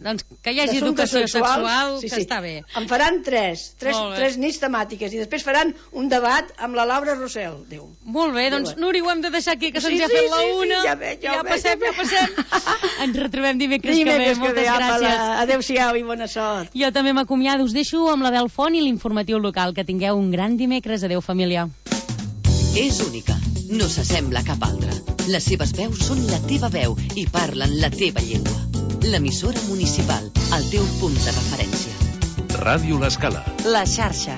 Doncs que hi hagi educació sexual, que està bé. En faran tres nits temàtiques i després faran un debat amb la Laura Rossell. Molt bé, doncs Núria, ho hem de deixar aquí, que se'ns ha fet la una. Ja passem. Ens retrobem dimecres que ve. Moltes gràcies. Adéu-siau i bona sort. Jo també m'acomiado. Us deixo amb la Belfont i l'informatiu local. Que tingueu un gran dimecres. Adéu, família. És única. No s'assembla a cap altra. Les seves veus són la teva veu i parlen la teva llengua. L'emissora municipal, el teu punt de referència. Ràdio L'Escala. La xarxa.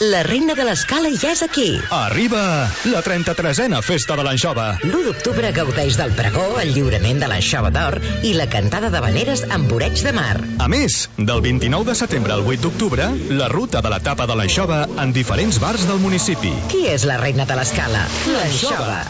La reina de l'Escala ja és aquí. Arriba la 33a Festa de l'Anxova. L'1 d'octubre gaudeix del pregó, el lliurament de l'Anxova d'Or i la cantada d'habaneres amb oreig de mar. A més, del 29 de setembre al 8 d'octubre, la ruta de la tapa de l'Anxova en diferents bars del municipi. Qui és la reina de l'Escala? L'Anxova.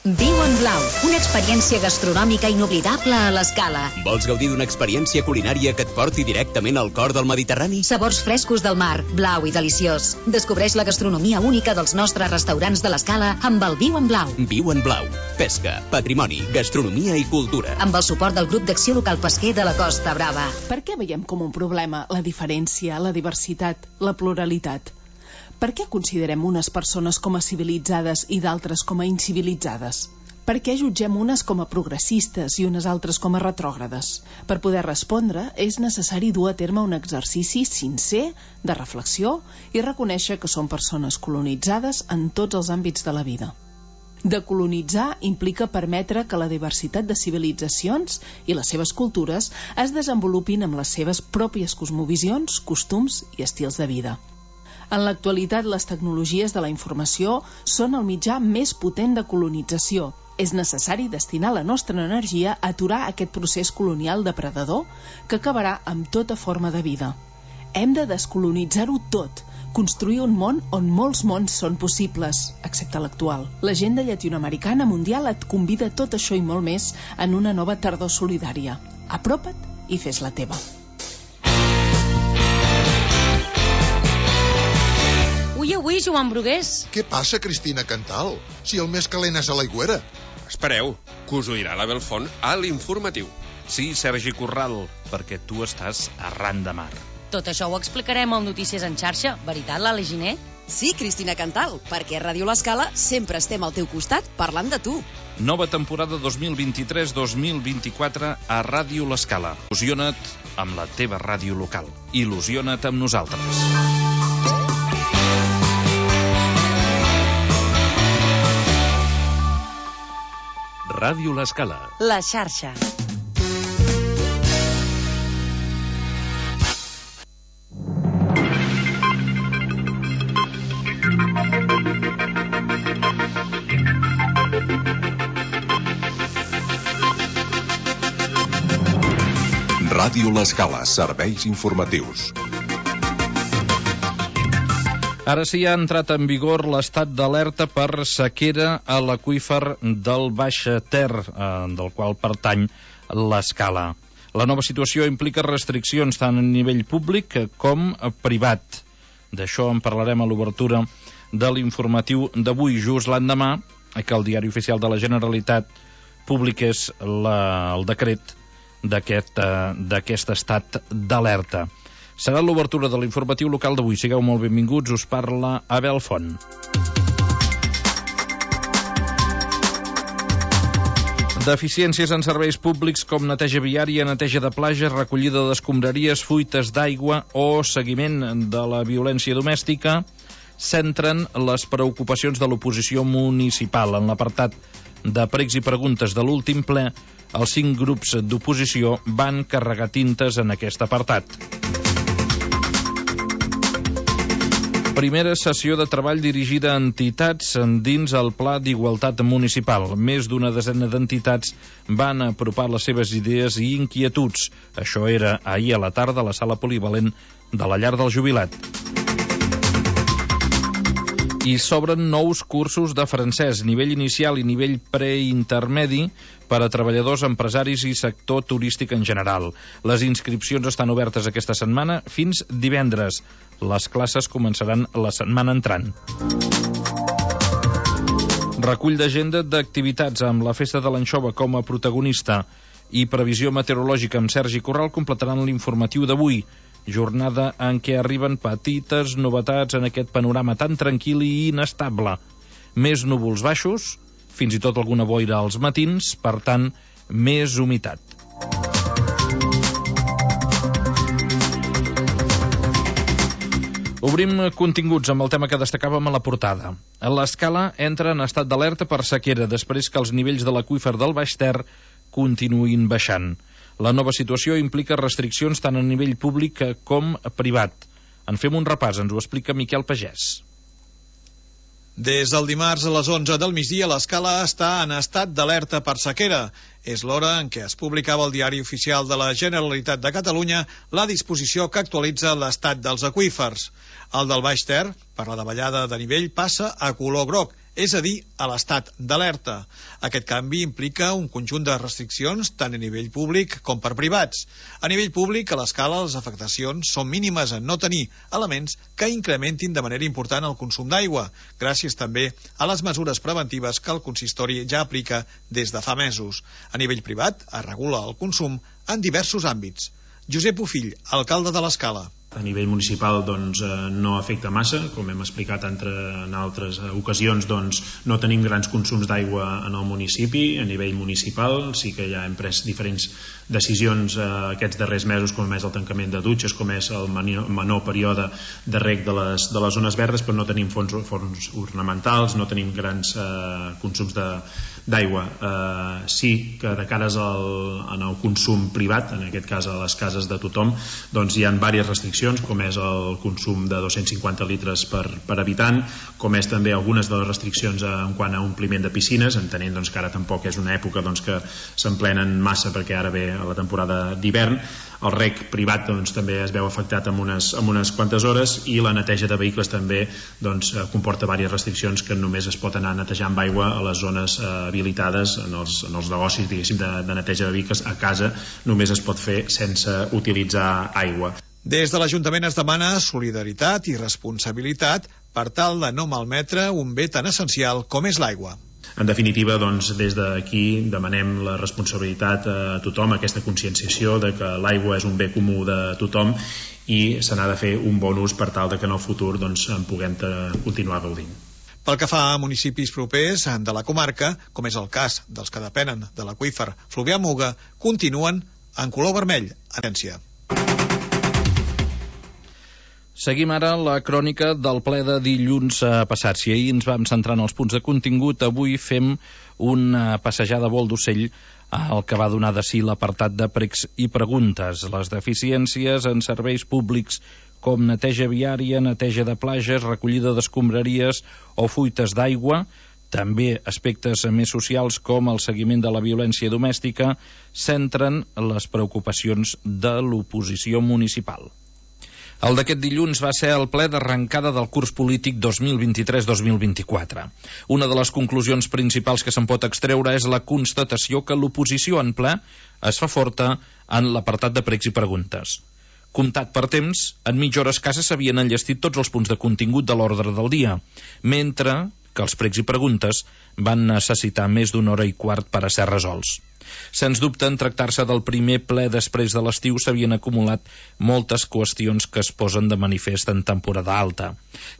Viu en Blau, una experiència gastronòmica inoblidable a l'Escala. Vols gaudir d'una experiència culinària que et porti directament al cor del Mediterrani? Sabors frescos del mar, blau i deliciós. Descobreix la gastronomia única dels nostres restaurants de l'Escala amb el Viu en Blau. Viu en Blau. Pesca, patrimoni, gastronomia i cultura. Amb el suport del grup d'acció local pesquer de la Costa Brava. Per què veiem com un problema la diferència, la diversitat, la pluralitat? Per què considerem unes persones com a civilitzades i d'altres com a incivilitzades? Per què jutgem unes com a progressistes i unes altres com a retrògrades? Per poder respondre, és necessari dur a terme un exercici sincer de reflexió i reconèixer que són persones colonitzades en tots els àmbits de la vida. Decolonitzar implica permetre que la diversitat de civilitzacions i les seves cultures es desenvolupin amb les seves pròpies cosmovisions, costums i estils de vida. En l'actualitat, les tecnologies de la informació són el mitjà més potent de colonització. És necessari destinar la nostra energia a aturar aquest procés colonial depredador que acabarà amb tota forma de vida. Hem de descolonitzar-ho tot, construir un món on molts mons són possibles, excepte l'actual. L'agenda llatinoamericana mundial et convida a tot això i molt més en una nova tardor solidària. Apropa't i fes la teva. Avui, Joan Brugués. Què passa, Cristina Cantal? Si el més calent és a l'Aigüera. Espereu, que us ho dirà la Belfont a l'informatiu. Sí, Sergi Corral, perquè tu estàs arran de mar. Tot això ho explicarem al Notícies en xarxa. Veritat, Lali Giner? Sí, Cristina Cantal, perquè a Ràdio L'Escala sempre estem al teu costat parlant de tu. Nova temporada 2023-2024 a Ràdio L'Escala. Il·lusiona't amb la teva ràdio local. Il·lusiona't amb nosaltres. Ràdio L'Escala. La xarxa. Ràdio L'Escala, serveis informatius. Ara sí ha entrat en vigor l'estat d'alerta per sequera a l'aqüífer del Baix Ter, del qual pertany l'Escala. La nova situació implica restriccions tant a nivell públic com privat. D'això en parlarem a l'obertura de l'informatiu d'avui, just l'endemà que el Diari Oficial de la Generalitat publiqués el decret d'aquest estat d'alerta. Serà l'obertura de l'informatiu local d'avui. Sigueu molt benvinguts, us parla Abel Font. Deficiències en serveis públics com neteja viària, neteja de platges, recollida d'escombraries, fuites d'aigua o seguiment de la violència domèstica centren les preocupacions de l'oposició municipal. En l'apartat de pregs i preguntes de l'últim ple, els 5 grups d'oposició van carregar tintes en aquest apartat. Primera sessió de treball dirigida a entitats dins el Pla d'Igualtat Municipal. Més d'una desena d'entitats van apropar les seves idees i inquietuds. Això era ahir a la tarda a la sala polivalent de la Llar del Jubilat. I s'obren nous cursos de francès, nivell inicial i nivell preintermedi per a treballadors, empresaris i sector turístic en general. Les inscripcions estan obertes aquesta setmana fins divendres. Les classes començaran la setmana entrant. Recull d'agenda d'activitats amb la Festa de l'Anxova com a protagonista i previsió meteorològica amb Sergi Corral completaran l'informatiu d'avui. Jornada en què arriben petites novetats en aquest panorama tan tranquil i inestable. Més núvols baixos, fins i tot alguna boira als matins, per tant, més humitat. Obrim continguts amb el tema que destacàvem a la portada. L'Escala entra en estat d'alerta per sequera després que els nivells de l'aqüífer del Baix Ter continuïn baixant. La nova situació implica restriccions tant a nivell públic com privat. En fem un repàs, ens ho explica Miquel Pagès. Des del dimarts a les 11 del migdia, l'Escala està en estat d'alerta per sequera. És l'hora en què es publicava al Diari Oficial de la Generalitat de Catalunya la disposició que actualitza l'estat dels aqüífers. El del Baix Ter, per la davallada de nivell, passa a color groc, és a dir, a l'estat d'alerta. Aquest canvi implica un conjunt de restriccions tant a nivell públic com per privats. A nivell públic, a l'Escala, les afectacions són mínimes en no tenir elements que incrementin de manera important el consum d'aigua, gràcies també a les mesures preventives que el consistori ja aplica des de fa mesos. A nivell privat, es regula el consum en diversos àmbits. Josep Bofill, alcalde de l'Escala. A nivell municipal no afecta massa, com hem explicat en altres ocasions, no tenim grans consums d'aigua en el municipi. A nivell municipal sí que ja hem pres diferents decisions aquests darrers mesos, com és el tancament de dutxes, com és el menor període de reg de les zones verdes, però no tenim forns ornamentals, no tenim grans consums d'aigua. Sí que de cares en el consum privat, en aquest cas a les cases de tothom, hi ha diverses restriccions, com és el consum de 250 litres per habitant, com és també algunes de les restriccions en quant a ompliment de piscines, entenent que ara tampoc és una època que s'emplenen massa perquè ara ve la temporada d'hivern. El reg privat també es veu afectat amb unes quantes hores, i la neteja de vehicles també comporta diverses restriccions, que només es pot anar netejant amb aigua a les zones habilitades, en els negocis de neteja de vehicles. A casa només es pot fer sense utilitzar aigua. Des de l'Ajuntament es demana solidaritat i responsabilitat per tal de no malmetre un bé tan essencial com és l'aigua. En definitiva, des d'aquí demanem la responsabilitat a tothom, aquesta conscienciació de que l'aigua és un bé comú de tothom i se n'ha de fer un bon ús per tal de que en el futur en puguem continuar gaudint. Pel que fa a municipis propers de la comarca, com és el cas dels que depenen de l'aqüífer Fluvià-Muga, continuen en color vermell, atenció. Seguim ara la crònica del ple de dilluns passat. Si ahir ens vam centrar en els punts de contingut, avui fem una passejada a vol d'ocell al que va donar de si l'apartat de pregs i preguntes. Les deficiències en serveis públics com neteja viària, neteja de platges, recollida d'escombraries o fuites d'aigua, també aspectes més socials com el seguiment de la violència domèstica, centren les preocupacions de l'oposició municipal. El d'aquest dilluns va ser el ple d'arrencada del curs polític 2023-2024. Una de les conclusions principals que se'n pot extreure és la constatació que l'oposició en ple es fa forta en l'apartat de pregs i preguntes. Comptat per temps, en mitja hora escassa s'havien enllestit tots els punts de contingut de l'ordre del dia, mentre que els pregs i preguntes van necessitar més d'una hora i quart per a ser resolts. Sens dubte, en tractar-se del primer ple després de l'estiu, s'havien acumulat moltes qüestions que es posen de manifest en temporada alta.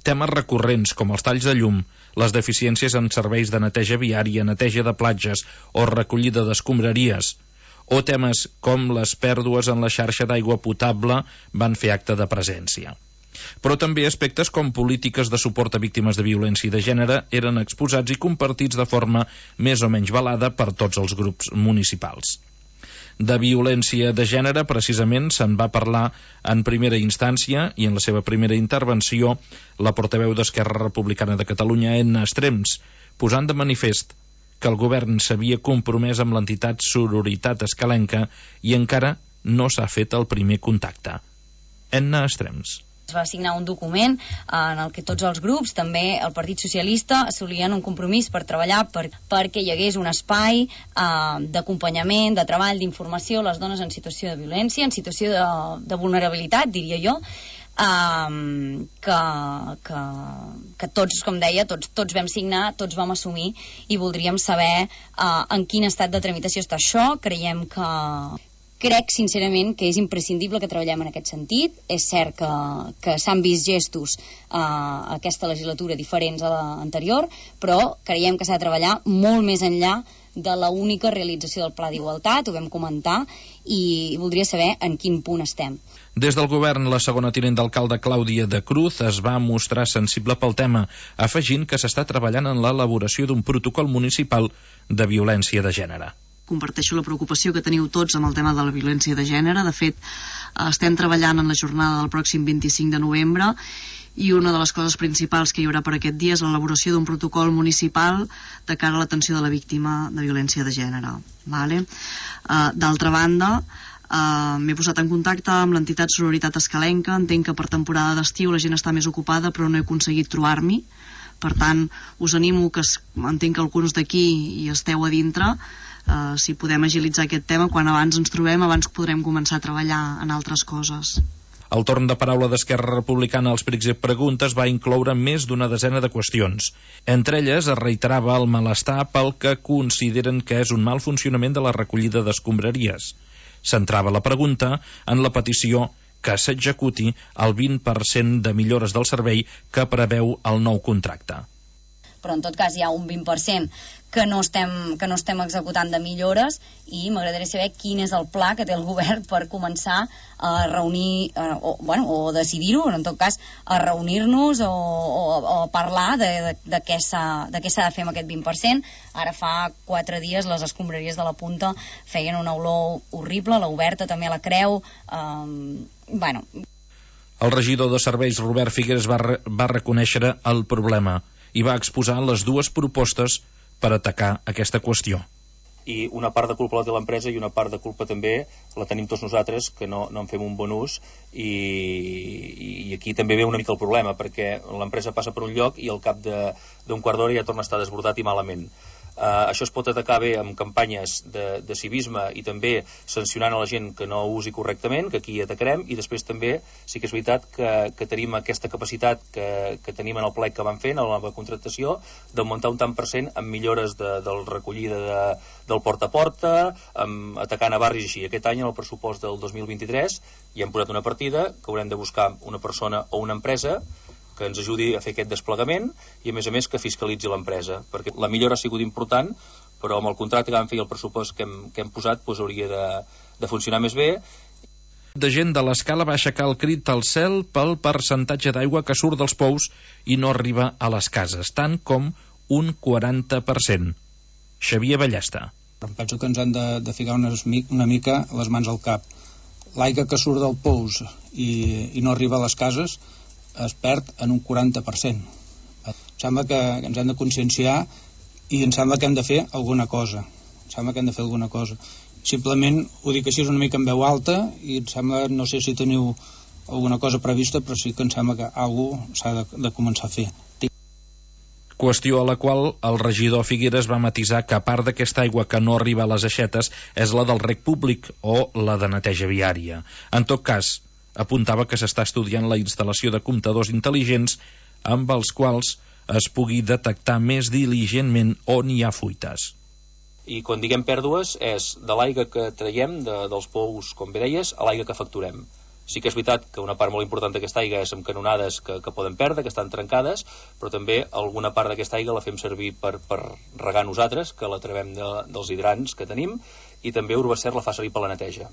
Temes recurrents com els talls de llum, les deficiències en serveis de neteja viària, neteja de platges o recollida d'escombraries, o temes com les pèrdues en la xarxa d'aigua potable van fer acte de presència. Però també aspectes com polítiques de suport a víctimes de violència de gènere eren exposats i compartits de forma més o menys velada per tots els grups municipals. De violència de gènere, precisament, se'n va parlar en primera instància i en la seva primera intervenció la portaveu d'Esquerra Republicana de Catalunya, Edna Estrems, posant de manifest que el govern s'havia compromès amb l'entitat Sororitat Escalenca i encara no s'ha fet el primer contacte. Edna Estrems. Es va signar un document en el que tots els grups, també el Partit Socialista, assolien un compromís per treballar perquè hi hagués un espai d'acompanyament, de treball, d'informació a les dones en situació de violència, en situació de vulnerabilitat, diria jo, que tots, com deia, tots vam signar, tots vam assumir, i voldríem saber en quin estat de tramitació està això. Crec, sincerament, que és imprescindible que treballem en aquest sentit. És cert que s'han vist gestos aquesta legislatura diferents a l'anterior, però creiem que s'ha de treballar molt més enllà de la única realització del Pla d'Igualtat, ho vam comentar, i voldria saber en quin punt estem. Des del govern, la segona tinent d'alcalde Clàudia de Cruz es va mostrar sensible pel tema, afegint que s'està treballant en l'elaboració d'un protocol municipal de violència de gènere. Comparteixo la preocupació que teniu tots amb el tema de la violència de gènere. De fet, estem treballant en la jornada del pròxim 25 de novembre i una de les coses principals que hi haurà per aquest dia és l'elaboració d'un protocol municipal de cara a l'atenció de la víctima de violència de gènere. D'altra banda, m'he posat en contacte amb l'entitat Sororitat Escalenca. Entenc que per temporada d'estiu la gent està més ocupada, però no he aconseguit trobar-m'hi. Per tant, us animo, que entenc que alguns d'aquí hi esteu a dintre, si podem agilitzar aquest tema, quan abans ens trobem, abans podrem començar a treballar en altres coses. El torn de paraula d'Esquerra Republicana als Precs i Preguntes va incloure més d'una desena de qüestions. Entre elles es reiterava el malestar pel que consideren que és un mal funcionament de la recollida d'escombraries. Centrava la pregunta en la petició que s'executi el 20% de millores del servei que preveu el nou contracte. Però en tot cas hi ha un 20% que no estem executant de millores, i m'agradaria saber quin és el pla que té el govern per començar a reunir o decidir-ho, en tot cas a reunir-nos o parlar de què s'ha de fer amb aquest 20%. Ara fa 4 dies les escombraries de la Punta feien una olor horrible, la Oberta també la Creu. El regidor de serveis, Robert Figueres, va reconèixer el problema i va exposar les dues propostes per atacar aquesta qüestió. I una part de culpa la té l'empresa i una part de culpa també la tenim tots nosaltres, que no en fem un bon ús, i aquí també ve una mica el problema, perquè l'empresa passa per un lloc i al cap d'un quart d'hora ja torna a estar desbordat i malament. Això es pot atacar bé amb campanyes de civisme i també sancionant a la gent que no ho usi correctament, que aquí atacarem, i després també sí que és veritat que tenim aquesta capacitat que tenim en el plec que vam fer, en la nova contractació, d'augmentar un tant per cent amb millores de recollida del porta a porta, atacant a barris així. Aquest any, en el pressupost del 2023, hi hem posat una partida que haurem de buscar una persona o una empresa que ens ajudi a fer aquest desplegament i, a més, que fiscalitzi l'empresa, perquè la millora ha sigut important, però amb el contracte que vam fer i el pressupost que hem posat hauria de funcionar més bé. De gent de l'Escala va aixecar el crit al cel pel percentatge d'aigua que surt dels pous i no arriba a les cases, tant com un 40%. Xavier Ballesta. Em penso que ens han de ficar una mica les mans al cap. L'aigua que surt del pous i no arriba a les cases es perd en un 40%. Em sembla que ens hem de conscienciar i em sembla que hem de fer alguna cosa. Simplement ho dic així una mica en veu alta i em sembla, no sé si teniu alguna cosa prevista, però sí que em sembla que alguna cosa s'ha de començar a fer. Qüestió a la qual el regidor Figueres va matisar que a part d'aquesta aigua que no arriba a les aixetes és la del reg públic o la de neteja viària. En tot cas, apuntava que s'està estudiant la instal·lació de comptadors intel·ligents amb els quals es pugui detectar més diligentment on hi ha fuites. I quan diguem pèrdues és de l'aigua que traiem dels pous, com bé deies, a l'aigua que facturem. Sí que és veritat que una part molt important d'aquesta aigua és amb canonades que poden perdre, que estan trencades, però també alguna part d'aquesta aigua la fem servir per regar nosaltres, que la trebem dels hidrants que tenim, i també Urbacer la fa servir per la neteja.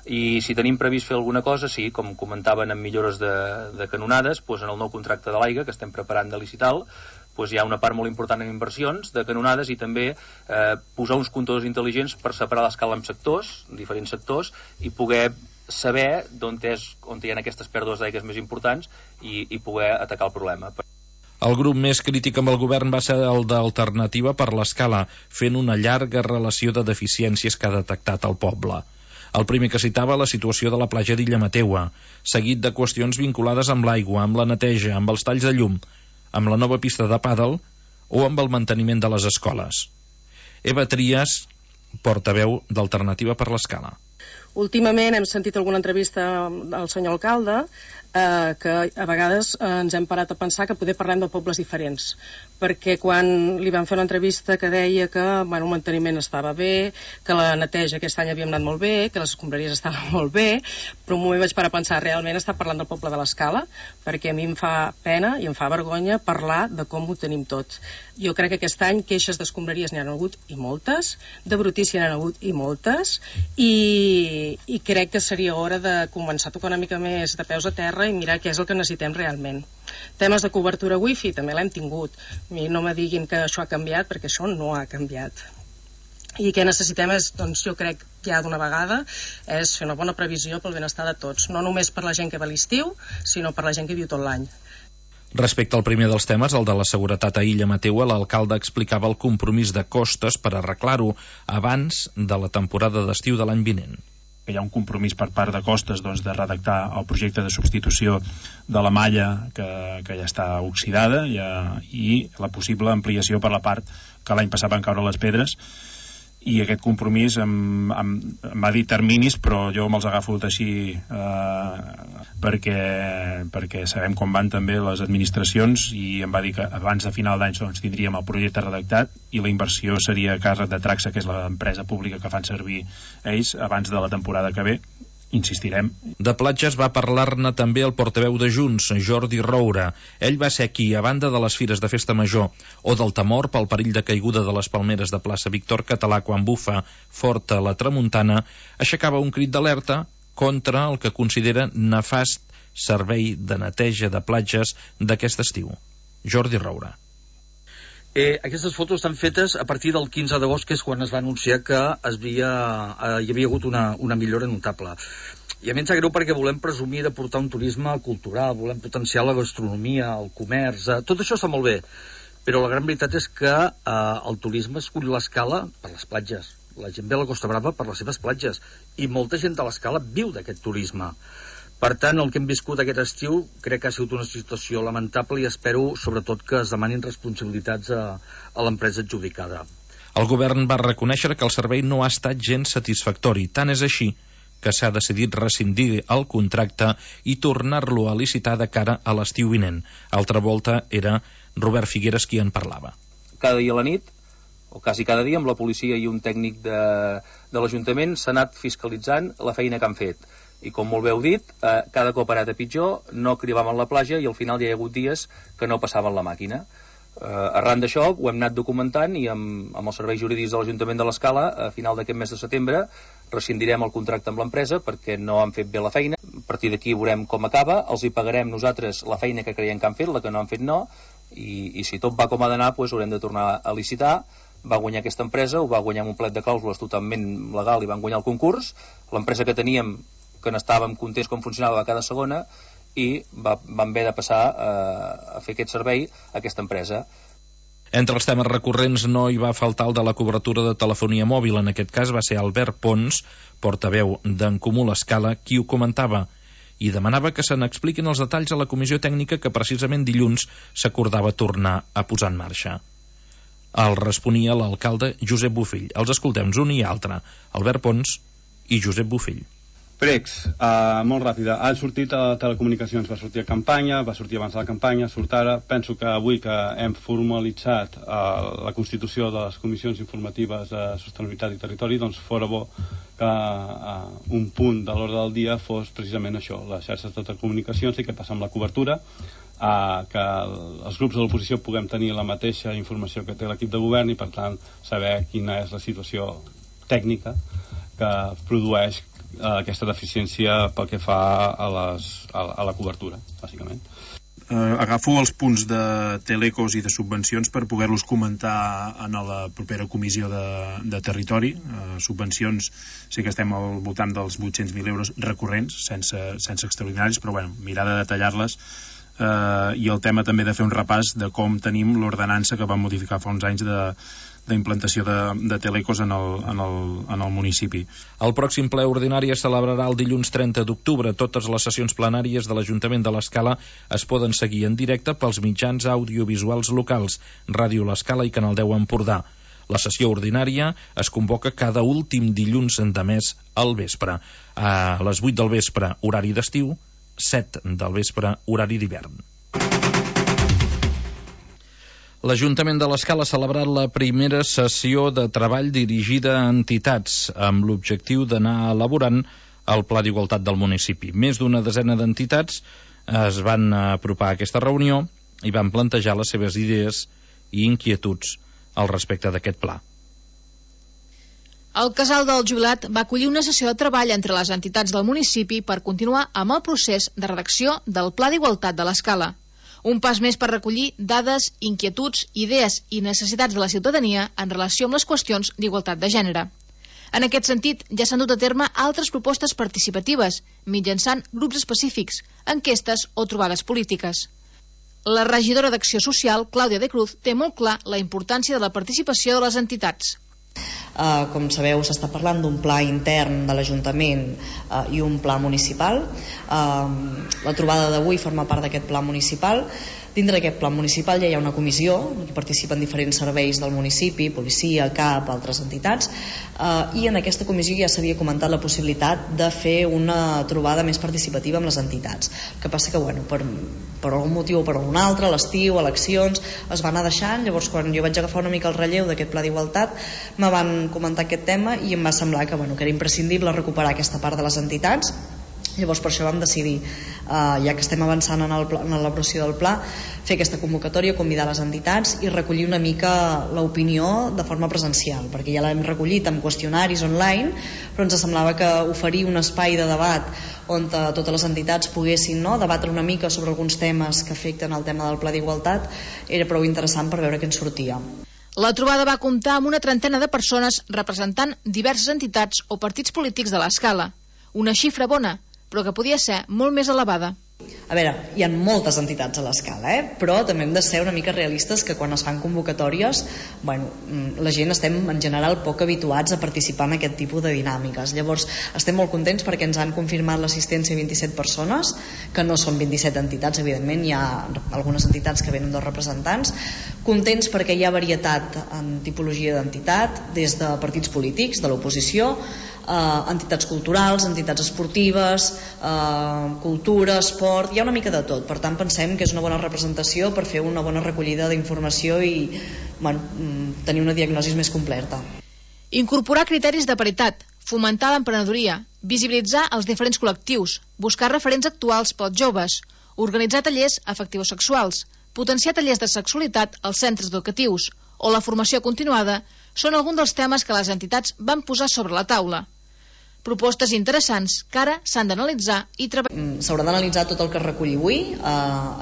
I si tenim previst fer alguna cosa, sí, com comentaven amb millores de canonades, doncs en el nou contracte de l'aigua que estem preparant de licital, doncs hi ha una part molt important en inversions de canonades i també posar uns comptadors intel·ligents per separar l'escala en sectors, diferents sectors, i poder saber on hi ha aquestes pèrdues d'aigües més importants i poder atacar el problema. El grup més crític amb el govern va ser el d'Alternativa per l'Escala, fent una llarga relació de deficiències que ha detectat el poble. El primer que citava la situació de la platja d'Illa Mateua, seguit de qüestions vinculades amb l'aigua, amb la neteja, amb els talls de llum, amb la nova pista de pàdel o amb el manteniment de les escoles. Eva Trias, portaveu d'Alternativa per l'Escala. Últimament hem sentit alguna entrevista al senyor alcalde que a vegades ens hem parat a pensar que poder parlem de pobles diferents, perquè quan li vam fer una entrevista que deia que el manteniment estava bé, que la neteja aquest any havia anat molt bé, que les escombraries estaven molt bé, però un moment vaig parar a pensar, realment està parlant del poble de l'Escala, perquè a mi em fa pena i em fa vergonya parlar de com ho tenim tot. Jo crec que aquest any queixes d'escombraries n'hi ha hagut i moltes, de brutícia n'hi ha hagut i moltes, i crec que seria hora de començar a tocar una mica més de peus a terra i mirar què és el que necessitem realment. Temes de cobertura wifi també l'hem tingut. No me diguin que això ha canviat, perquè això no ha canviat. I què necessitem és, doncs jo crec ja d'una vegada, és fer una bona previsió pel benestar de tots, no només per la gent que va a l'estiu, sinó per la gent que viu tot l'any. Respecte al primer dels temes, el de la seguretat a Illa Mateua, l'alcalde explicava el compromís de Costes per arreglar-ho abans de la temporada d'estiu de l'any vinent. Hi ha un compromís per part de Costes de redactar el projecte de substitució de la malla que ja està oxidada i la possible ampliació per la part que l'any passat van caure les pedres, i aquest compromís em va dir terminis, però jo me'ls agafo així perquè sabem com van també les administracions, i em va dir que abans de final d'any tindríem el projecte redactat i la inversió seria a càrrec de Traxa, que és l'empresa pública que fan servir ells, abans de la temporada que ve. Insistirem. De platges va parlar-ne també el portaveu de Junts, Jordi Roura. Ell va ser aquí, a banda de les fires de festa major o del temor pel perill de caiguda de les palmeres de plaça Víctor Català quan bufa forta la tramuntana, aixecava un crit d'alerta contra el que considera nefast servei de neteja de platges d'aquest estiu. Jordi Roura. Aquestes fotos estan fetes a partir del 15 d'agost, que és quan es va anunciar que hi havia hagut una millora notable. I a mi ens sap greu perquè volem presumir de portar un turisme cultural, volem potenciar la gastronomia, el comerç, tot això està molt bé, però la gran veritat és que el turisme escull l'Escala per les platges. La gent ve a la Costa Brava per les seves platges i molta gent de l'Escala viu d'aquest turisme. Per tant, el que hem viscut aquest estiu crec que ha sigut una situació lamentable i espero, sobretot, que es demanin responsabilitats a l'empresa adjudicada. El govern va reconèixer que el servei no ha estat gens satisfactori. Tant és així que s'ha decidit rescindir el contracte i tornar-lo a licitar de cara a l'estiu vinent. Altra volta era Robert Figueres qui en parlava. Cada dia a la nit, o quasi cada dia, amb la policia i un tècnic de l'Ajuntament s'ha anat fiscalitzant la feina que han fet. I com molt bé heu dit, cada cop ha anat a pitjor, no cribaven la platja i al final hi ha hagut dies que no passaven la màquina. Arran d'això ho hem anat documentant i amb els serveis jurídics de l'Ajuntament de l'Escala, a final d'aquest mes de setembre rescindirem el contracte amb l'empresa perquè no han fet bé la feina. A partir d'aquí veurem com acaba, els hi pagarem nosaltres la feina que creiem que han fet, la que no han fet no, i si tot va com ha d'anar, doncs haurem de tornar a licitar. Va guanyar aquesta empresa, ho va guanyar amb un plet de clàusules totalment legal i van guanyar el concurs. L'empresa que teníem, que n'estàvem contents com funcionava cada segona, i van haver de passar a fer aquest servei a aquesta empresa. Entre els temes recurrents no hi va faltar el de la cobertura de telefonia mòbil. En aquest cas va ser Albert Pons, portaveu d'en Comú l'Escala, qui ho comentava i demanava que se n'expliquin els detalls a la comissió tècnica que precisament dilluns s'acordava tornar a posar en marxa. El responia l'alcalde Josep Bofill. Els escoltem un i altre, Albert Pons i Josep Bofill. Pregs, molt ràpida. Ha sortit a Telecomunicacions, va sortir a campanya, va sortir abans de la campanya, surt ara. Penso que avui que hem formalitzat la constitució de les comissions informatives de sostenibilitat i territori, doncs fora bo que un punt de l'ordre del dia fos precisament això, les xarxes de telecomunicacions i què passa amb la cobertura, que els grups de l'oposició puguem tenir la mateixa informació que té l'equip de govern i per tant saber quina és la situació tècnica que produeix aquesta deficiència pel que fa a la cobertura, bàsicament. Agafo els punts de telecos i de subvencions per poder-los comentar en la propera comissió de territori. Subvencions sí que estem al voltant dels 800.000 euros recurrents, sense extraordinaris, però bueno, mirar de detallar-les. I el tema també de fer un repàs de com tenim l'ordenança que vam modificar fa uns anys d'implantació de telecos en el municipi. El pròxim ple ordinari es celebrarà el dilluns 30 d'octubre. Totes les sessions plenàries de l'Ajuntament de l'Escala es poden seguir en directe pels mitjans audiovisuals locals, Ràdio l'Escala i Canal 10 Empordà. La sessió ordinària es convoca cada últim dilluns de mes al vespre. A les 8 del vespre, horari d'estiu, 7 del vespre, horari d'hivern. L'Ajuntament de l'Escala ha celebrat la primera sessió de treball dirigida a entitats amb l'objectiu d'anar elaborant el Pla d'Igualtat del municipi. Més d'una desena d'entitats es van apropar a aquesta reunió i van plantejar les seves idees i inquietuds al respecte d'aquest pla. El Casal del Jubilat va acollir una sessió de treball entre les entitats del municipi per continuar amb el procés de redacció del Pla d'Igualtat de l'Escala. Un pas més per recollir dades, inquietuds, idees i necessitats de la ciutadania en relació amb les qüestions d'igualtat de gènere. En aquest sentit, ja s'han dut a terme altres propostes participatives, mitjançant grups específics, enquestes o trobades polítiques. La regidora d'Acció Social, Clàudia de Cruz, té molt clar la importància de la participació de les entitats. Com sabeu, s'està parlant d'un pla intern de l'Ajuntament i un pla municipal. La trobada d'avui forma part d'aquest pla municipal. Dintre d'aquest pla municipal ja hi ha una comissió en què participen diferents serveis del municipi, policia, CAP, altres entitats, i en aquesta comissió ja s'havia comentat la possibilitat de fer una trobada més participativa amb les entitats. El que passa que, per algun motiu o per algun altre, a l'estiu, eleccions, es va anar deixant. Llavors, quan jo vaig agafar una mica el relleu d'aquest pla d'igualtat, me van comentar aquest tema i em va semblar que era imprescindible recuperar aquesta part de les entitats. Llavors per això vam decidir, ja que estem avançant en l'elaboració del pla, fer aquesta convocatòria, convidar les entitats i recollir una mica l'opinió de forma presencial, perquè ja l'hem recollit amb qüestionaris online, però ens semblava que oferir un espai de debat on totes les entitats poguessin debatre una mica sobre alguns temes que afecten el tema del pla d'igualtat era prou interessant per veure què en sortia. La trobada va comptar amb una trentena de persones representant diverses entitats o partits polítics de l'Escala. Una xifra bona, però que podia ser molt més elevada. A veure, hi ha moltes entitats a l'Escala, però també hem de ser una mica realistes que quan es fan convocatòries, la gent estem en general poc habituats a participar en aquest tipus de dinàmiques. Llavors, estem molt contents perquè ens han confirmat l'assistència a 27 persones, que no són 27 entitats, evidentment, hi ha algunes entitats que venen dos representants. Contents perquè hi ha varietat en tipologia d'entitat, des de partits polítics, de l'oposició, entitats culturals, entitats esportives, cultura, esport, hi ha una mica de tot. Per tant, pensem que és una bona representació per fer una bona recollida d'informació i tenir una diagnosi més completa. Incorporar criteris de paritat, fomentar l'emprenedoria, visibilitzar els diferents col·lectius, buscar referents actuals pels joves, organitzar tallers afectivosexuals, potenciar tallers de sexualitat als centres educatius o la formació continuada són alguns dels temes que les entitats van posar sobre la taula. Propostes interessants que ara s'han d'analitzar i treballar. S'haurà d'analitzar tot el que es reculli avui.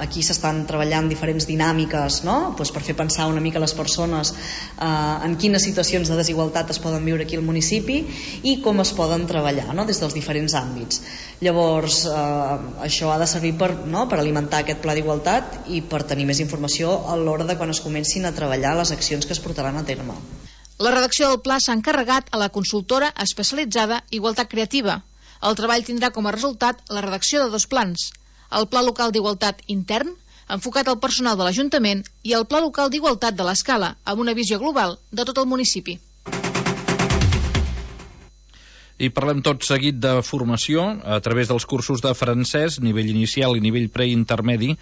Aquí s'estan treballant diferents dinàmiques per fer pensar una mica les persones en quines situacions de desigualtat es poden viure aquí al municipi i com es poden treballar des dels diferents àmbits. Llavors, això ha de servir per alimentar aquest pla d'igualtat i per tenir més informació a l'hora de quan es comencin a treballar les accions que es portaran a terme. La redacció del pla s'ha encarregat a la consultora especialitzada Igualtat Creativa. El treball tindrà com a resultat la redacció de 2 plans. El Pla Local d'Igualtat Intern, enfocat al personal de l'Ajuntament, i el Pla Local d'Igualtat de l'Escala, amb una visió global de tot el municipi. I parlem tot seguit de formació a través dels cursos de francès, nivell inicial i nivell preintermedi,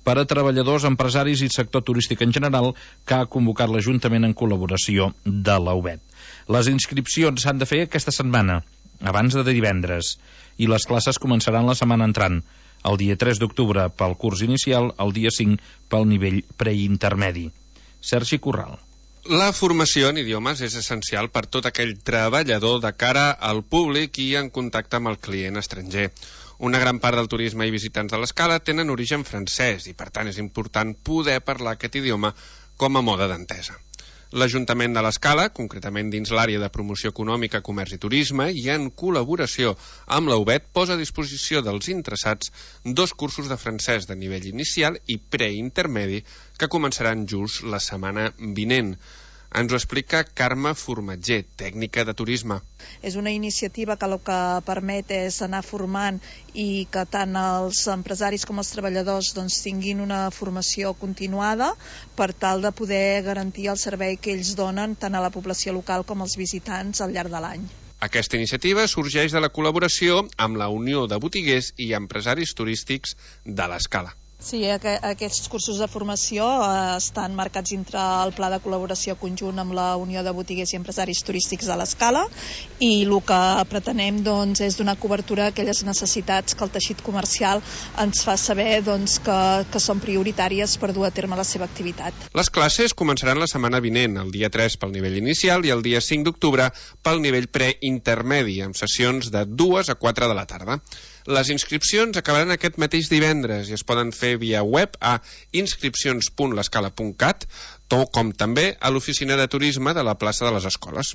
per a treballadors, empresaris i sector turístic en general, que ha convocat l'Ajuntament en col·laboració de la UBET. Les inscripcions s'han de fer aquesta setmana, abans de divendres, i les classes començaran la setmana entrant, el dia 3 d'octubre pel curs inicial, el dia 5 pel nivell preintermedi. Sergi Corral. La formació en idiomes és essencial per tot aquell treballador de cara al públic i en contacte amb el client estranger. Una gran part del turisme i visitants de l'Escala tenen origen francès i, per tant, és important poder parlar aquest idioma com a mode d'entesa. L'Ajuntament de l'Escala, concretament dins l'àrea de promoció econòmica, comerç i turisme, i en col·laboració amb la UBET, posa a disposició dels interessats 2 cursos de francès de nivell inicial i preintermedi que començaran just la setmana vinent. Ens ho explica Carme Formatger, tècnica de turisme. És una iniciativa que el que permet és anar formant i que tant els empresaris com els treballadors tinguin una formació continuada per tal de poder garantir el servei que ells donen tant a la població local com als visitants al llarg de l'any. Aquesta iniciativa sorgeix de la col·laboració amb la Unió de Botiguers i Empresaris Turístics de l'Escala. Sí, aquests cursos de formació estan marcats dintre el pla de col·laboració conjunt amb la Unió de Botiguers i Empresaris Turístics de l'Escala i el que pretenem és donar cobertura a aquelles necessitats que el teixit comercial ens fa saber que són prioritàries per dur a terme la seva activitat. Les classes començaran la setmana vinent, el dia 3 pel nivell inicial i el dia 5 d'octubre pel nivell preintermedi, amb sessions de 2 a 4 de la tarda. Les inscripcions acabaran aquest mateix divendres i es poden fer via web a inscripcions.lescala.cat, com també a l'oficina de turisme de la plaça de les Escoles.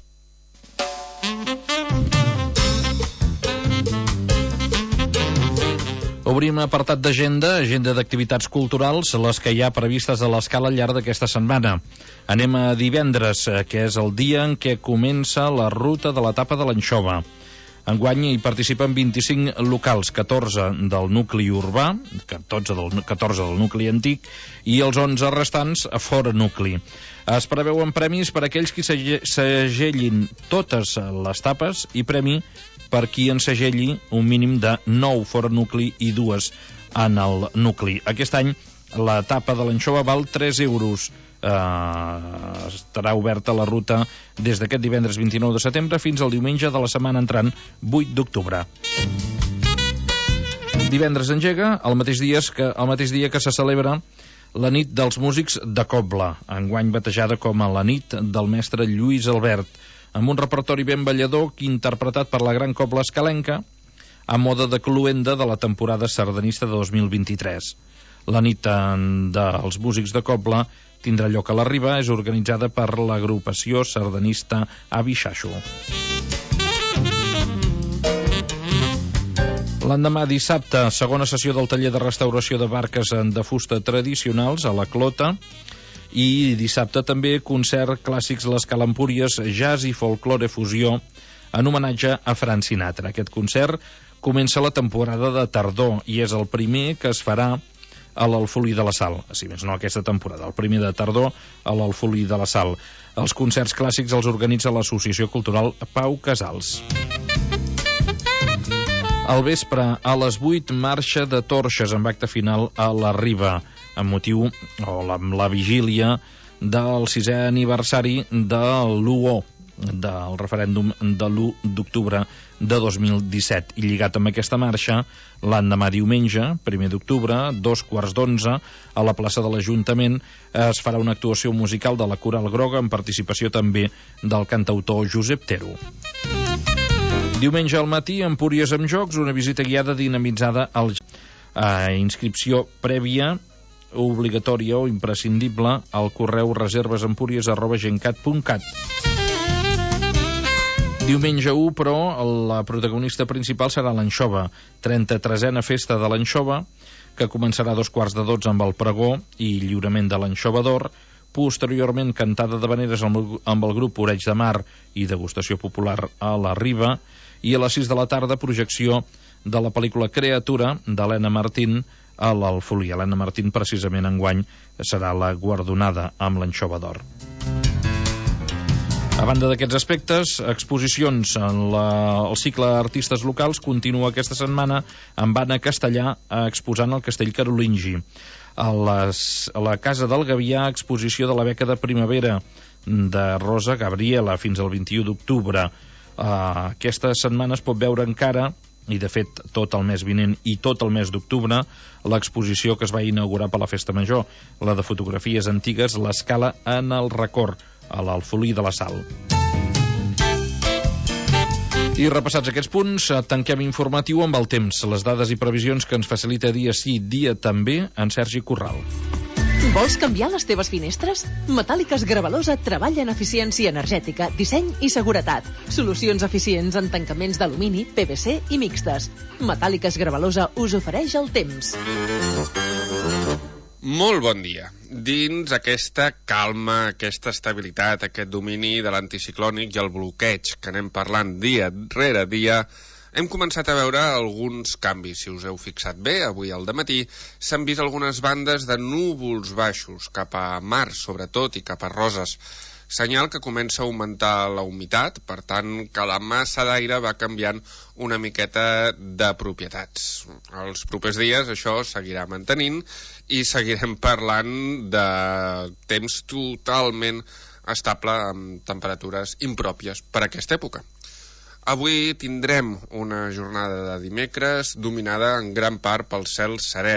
Obrim apartat d'agenda, agenda d'activitats culturals, les que hi ha previstes a l'Escala al llarg d'aquesta setmana. Anem a divendres, que és el dia en què comença la ruta de l'etapa de l'Anxova. Enguany hi participen 25 locals, 14 del nucli urbà, 14 del nucli antic, i els 11 restants a fora nucli. Es preveuen premis per a aquells qui segellin totes les tapes i premi per qui en segelli un mínim de 9 fora nucli i 2 en el nucli. Aquest any l'etapa de l'Anxova val 3 euros. Estarà oberta la ruta des d'aquest divendres 29 de setembre fins al diumenge de la setmana entrant 8 d'octubre. Divendres engega el mateix dia que se celebra la nit dels músics de Cobla, enguany batejada com a la nit del mestre Lluís Albert, amb un repertori ben ballador interpretat per la gran cobla escalenca a moda de cluenda de la temporada sardanista de 2023. La nit dels músics de Cobla tindrà lloc a la Riba, és organitzada per l'agrupació sardanista Avi Xaxo. L'endemà, dissabte, segona sessió del taller de restauració de barques de fusta tradicionals a la Clota, i dissabte també concert Clàssics l'Escala Empúries, jazz i folklore fusió en homenatge a Frank Sinatra. Aquest concert comença la temporada de tardor i és el primer que es farà a l'Alfolí de la Sal, si més no aquesta temporada, el primer de tardor a l'Alfolí de la Sal. Els concerts clàssics els organitza l'Associació Cultural Pau Casals. Al vespre, a les 8, marxa de torxes amb acte final a la Riba, amb motiu amb la vigília del 6è aniversari de l'UO, del referèndum de l'1 d'octubre de 2017. I lligat amb aquesta marxa, l'endemà diumenge, 1 d'octubre, 2:15, a la plaça de l'Ajuntament, es farà una actuació musical de la Coral Groga amb participació també del cantautor Josep Tero. Diumenge al matí, Empúries amb jocs, una visita guiada dinamitzada inscripció prèvia obligatòria o imprescindible al correu reservesempúries@gencat.cat. Diumenge 1, però, la protagonista principal serà l'Anxova, 33a festa de l'Anxova, que començarà a 11:15 amb el pregó i lliurament de l'Anxova d'Or, posteriorment cantada d'habaneres amb el grup Oreig de Mar i degustació popular a la Riba, i a les 6 de la tarda projecció de la pel·lícula Creatura d'Helena Martín a l'Alfolí. Helena Martín, precisament enguany, serà la guardonada amb l'Anxova d'Or. A banda d'aquests aspectes, exposicions en el cicle Artistes Locals continua aquesta setmana amb Anna Castellà exposant el castell carolingi. A la Casa del Gavià, exposició de la beca de primavera de Rosa Gabriela fins al 21 d'octubre. Aquesta setmana es pot veure encara, i de fet tot el mes vinent i tot el mes d'octubre, l'exposició que es va inaugurar per la Festa Major, la de fotografies antigues, l'Escala en el record, a l'Alfolí de la Sal. I repassats aquests punts, tanquem informatiu amb el temps, les dades i previsions que ens facilita dia sí, dia també, en Sergi Corral. Vols canviar les teves finestres? Metàl·liques Gravalosa treballa en eficiència energètica, disseny i seguretat. Solucions eficients en tancaments d'alumini, PVC i mixtes. Metàl·liques Gravalosa us ofereix el temps. Molt bon dia. Dins aquesta calma, aquesta estabilitat, aquest domini de l'anticiclònic i el bloqueig que anem parlant dia rere dia, hem començat a veure alguns canvis. Si us heu fixat bé, avui al dematí s'han vist algunes bandes de núvols baixos, cap a mar sobretot i cap a Roses. Senyal que comença a augmentar la humitat, per tant que la massa d'aire va canviant una miqueta de propietats. Els propers dies això seguirà mantenint i seguirem parlant de temps totalment estable amb temperatures impròpies per a aquesta època. Avui tindrem una jornada de dimecres dominada en gran part pel cel serè.